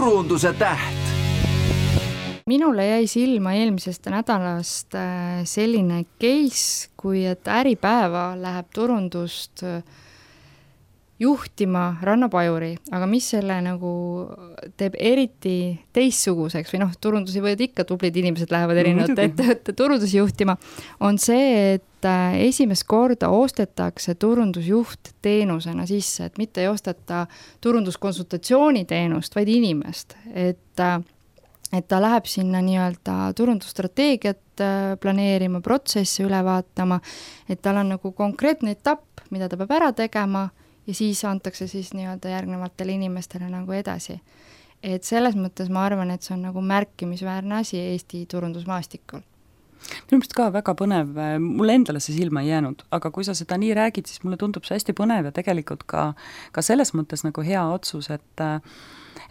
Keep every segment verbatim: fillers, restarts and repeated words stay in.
turunduse täht. Minule jäi silma eelmisest nädalast selline case, kui et Äripäeva läheb turundust juhtima Ranna Pajuri, aga mis selle nagu teeb eriti teistsuguseks või noh, turundusi võivad ikka tublid inimesed lähevad erinevad no, ettevõtte turundusi juhtima, on see, et esimest korda ostetakse turundusjuht teenusena sisse, et mitte ei osteta turunduskonsultatsiooni teenust, vaid inimest, et et ta läheb sinna nii-öelda turundusstrateegiat planeerima, protsessi üle vaatama, et tal on nagu konkreetne etapp, mida ta peab ära tegema ja siis antakse siis nii-öelda järgnevatele inimestele nagu edasi. Et selles mõttes ma arvan, et see on nagu märkimisväärne asi Eesti turundusmaastikul. Minu meelest ka väga põnev, mulle endale see silma ei jäänud, aga kui sa seda nii räägid, siis mulle tundub see hästi põnev ja tegelikult ka, ka selles mõttes nagu hea otsus, et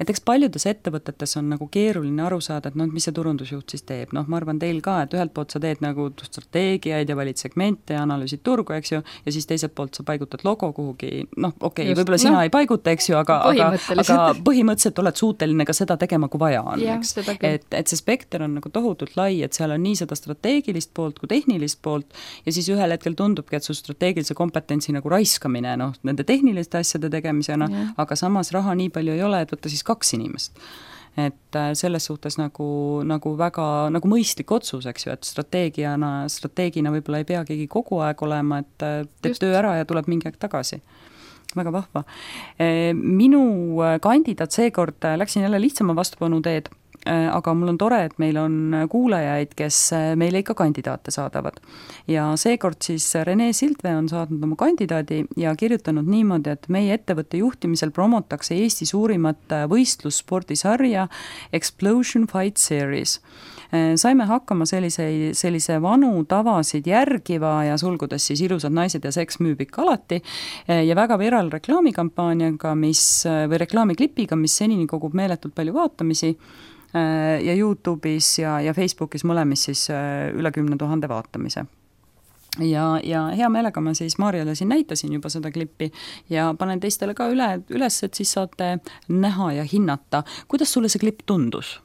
et eks paljudes ettevõtetes on nagu keeruline aru saada, et noh, mis see turundusjuht siis teeb. Noh, ma arvan teil ka, et ühelt poolt sa teed nagu strateegiaid ja valid segmente ja analüüsid turgu, eks ju, ja siis teiselt poolt sa paigutad logo kuhugi, noh, okei okay,, võib-olla sina no, ei paiguta, eks ju, aga, aga, aga põhimõtteliselt oled suuteline ka seda tegema, kui vaja on, ja, eks. Et, et see spekter on nagu tohutult lai, et seal on nii seda strateegilist poolt kui tehnilist poolt ja siis ühel hetkel tundubki, et su strateegilise kompetentsi nagu raiskamine, noh, nende tehniliste asjade tegemisena, ja. Aga samas raha nii palju ei ole, et võtta siis kaks inimest. Et selles suhtes nagu, nagu väga nagu mõistlik otsus, eks ju, et strateegiana, strateegina võib-olla ei pea keegi kogu aeg olema, et teeb Just. töö ära ja tuleb mingi aeg tagasi. Väga vahva. Minu kandidaat seekord läksin jälle lihtsama vastupanu teed, aga mul on tore, et meil on kuulajaid, kes meile ikka kandidaate saadavad. Ja seekord siis Rene Sildvee on saadnud oma kandidaadi ja kirjutanud niimoodi, et meie ettevõtte juhtimisel promotakse Eesti suurimat võistlusspordisarja Explosion Fight Series. Saime hakkama sellise, sellise vanu tavasid järgiva ja sulgudes siis ilusad naised ja seks müüb ikka alati ja väga viral reklaamikampaaniaga, mis, või reklaamiklipiga, mis senini kogub meeletult palju vaatamisi ja YouTube'is ja, ja Facebookis mõlemis siis üle kümne tuhande vaatamise. Ja, ja hea meelega ma siis Maarjale siin näitasin juba seda klippi ja panen teistele ka üle, üles, et siis saate näha ja hinnata. Kuidas sulle see klipp tundus?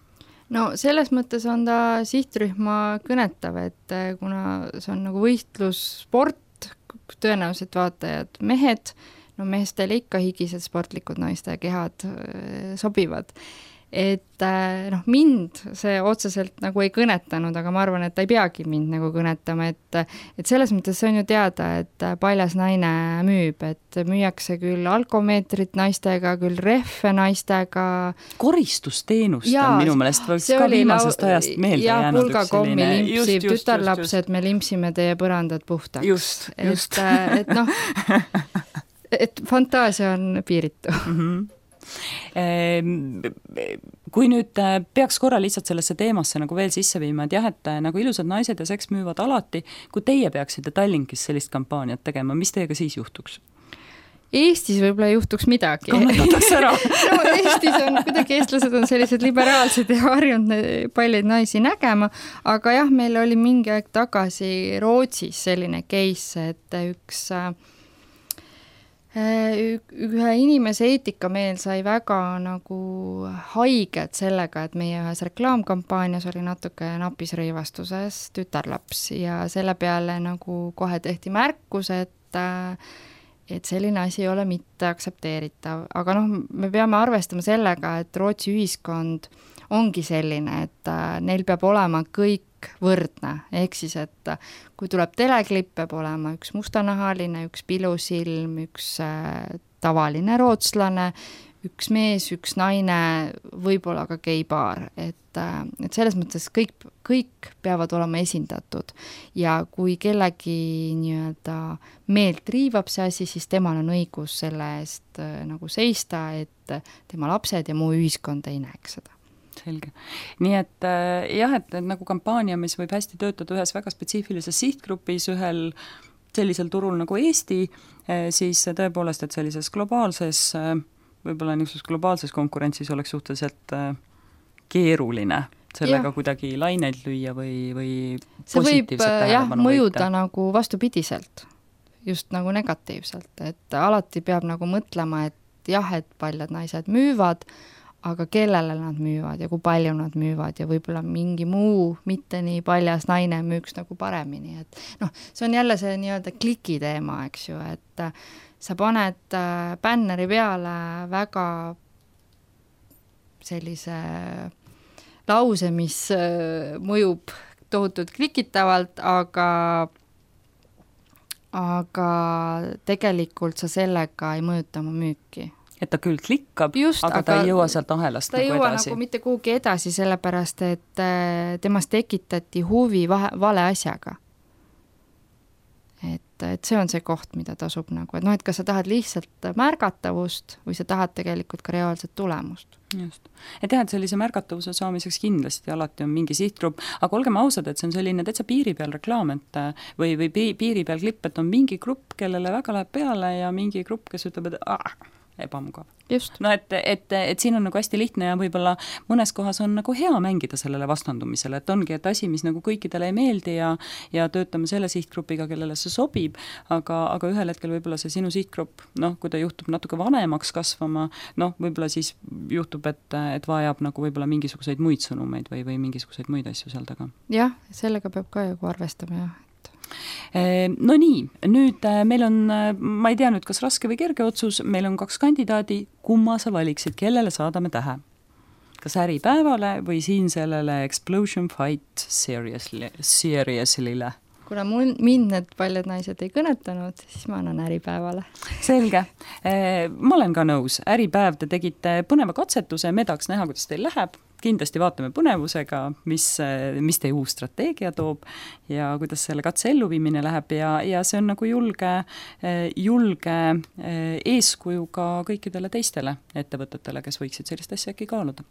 No selles mõttes on ta sihtrühma kõnetav, et kuna see on nagu võistlussport, tõenäoliselt vaatajad mehed, no meestele ikka higised sportlikud naiste kehad sobivad. Et noh, mind see otseselt nagu ei kõnetanud, aga ma arvan, et ta ei peagi mind nagu kõnetama, et, et selles mõttes see on ju teada, et paljas naine müüb, et müüakse küll alkomeetrit naistega, küll rehve naistega. Koristusteenust ja, on minu meelest ka viimasest lau... ajast meelde ja, jäänud üks selline. Ja pulgakommi limpsib, tütarlapsed, me limpsime teie põrandad puhtaks. Just, just. Et, et noh, et fantaasia on piiritu. Mhm. Kui nüüd peaks korra lihtsalt sellesse teemasse nagu veel sisse viima, et jah, et nagu ilusad naised ja seks müüvad alati, kui teie peaksite Tallinkis sellist kampaaniat tegema, mis teiega siis juhtuks? Eestis võib-olla ei juhtuks midagi. Kannatatakse ära. No, Eestis on kuidagi eestlased on sellised liberaalsed ja harjunud paljuid naisi nägema, aga jah, meil oli mingi aeg tagasi Rootsis selline case, et üks ühe inimese eetikameel sai väga nagu haiget sellega, et meie ühes reklaamkampaanias oli natuke napis rõivastuses tütarlaps ja selle peale nagu kohe tehti märkus, et, et selline asi ei ole mitte aktsepteeritav. Aga noh, me peame arvestama sellega, et Rootsi ühiskond ongi selline, et neil peab olema kõik võrdne, ehk siis, et kui tuleb teleklipp, peab olema üks mustanahaline, üks pilusilm, üks tavaline rootslane, üks mees, üks naine, võib-olla ka geipaar, et, et selles mõttes kõik, kõik peavad olema esindatud ja kui kellegi nii-öelda meelt riivab see asi, siis temal on õigus selle eest nagu seista, et tema lapsed ja muu ühiskond ei näeks seda. Selge. Nii et jah, et, et nagu kampaania, mis võib hästi töötada ühes väga spetsiifilises sihtgrupis, ühel sellisel turul nagu Eesti, siis tõepoolest, et sellises globaalses, võib-olla niisuguses globaalses konkurentsis oleks suhteliselt keeruline sellega ja. Kuidagi laineid lüüa või, või positiivset tähelepanu võita. Mõjuda nagu vastupidiselt, just nagu negatiivselt, et alati peab nagu mõtlema, et jah, et paljad naised müüvad, aga kellele nad müüvad ja kui palju nad müüvad ja võib-olla mingi muu mitte nii paljas naine müüks nagu paremini, et noh, see on jälle see nii-öelda kliki teema, eks ju, et sa paned bänneri peale väga sellise lause, mis mõjub tohutult klikitavalt, aga aga tegelikult sa sellega ei mõjuta oma müüki. Et ta küll klikkab, Just, aga, aga ta ei jõua sealt ahelast ta nagu ei jõua edasi. nagu mitte kuhugi edasi, sellepärast et temast tekitati huvi vahe, vale asjaga. Et, et see on see koht, mida tasub nagu, et noh, et kas sa tahad lihtsalt märgatavust või sa tahad tegelikult ka reaalset tulemust. Just. Et jah, et sellise märgatavuse saamiseks kindlasti alati on mingi sihtgrupp, aga olgem ausad, et see on selline täitsa piiri peal reklaam, et või, või piiri peal klipp, et on mingi grupp, kellele väga läheb peale ja mingi grupp, kes ütleb, et ah, ebamugav. Just. No et, et, et siin on nagu hästi lihtne ja võib-olla mõnes kohas on nagu hea mängida sellele vastandumisele, et ongi, et asi, mis nagu kõikidele ei meeldi ja, ja töötame selle sihtgrupiga, kellele see sobib, aga, aga ühel hetkel võib-olla see sinu sihtgrupp, noh, kui ta juhtub natuke vanemaks kasvama, noh, võib-olla siis juhtub, et, et vajab nagu võib-olla mingisuguseid muid sõnumeid või, või mingisuguseid muid asju seal taga. Jah, sellega peab ka ju arvestama, jah. No nii, nüüd meil on, ma ei tea nüüd, kas raske või kerge otsus, meil on kaks kandidaadi, kumma sa valiksid, kellele saadame tähe? Kas Äripäevale või siin sellele Explosion Fight seriously, seriously'le? Kuna mul, mind need paljud naised ei kõnetanud, siis ma annan Äripäevale. Selge. Ma olen ka nõus. Äripäev, te tegite põneva katsetuse, me tahaks näha, kuidas teil läheb. Kindlasti vaatame põnevusega, mis, mis teie uus strateegia toob ja kuidas selle katse elluviimine läheb ja, ja see on nagu julge, julge eeskuju ka kõikidele teistele ettevõtetele, kes võiksid sellist asja äkki kaaluda.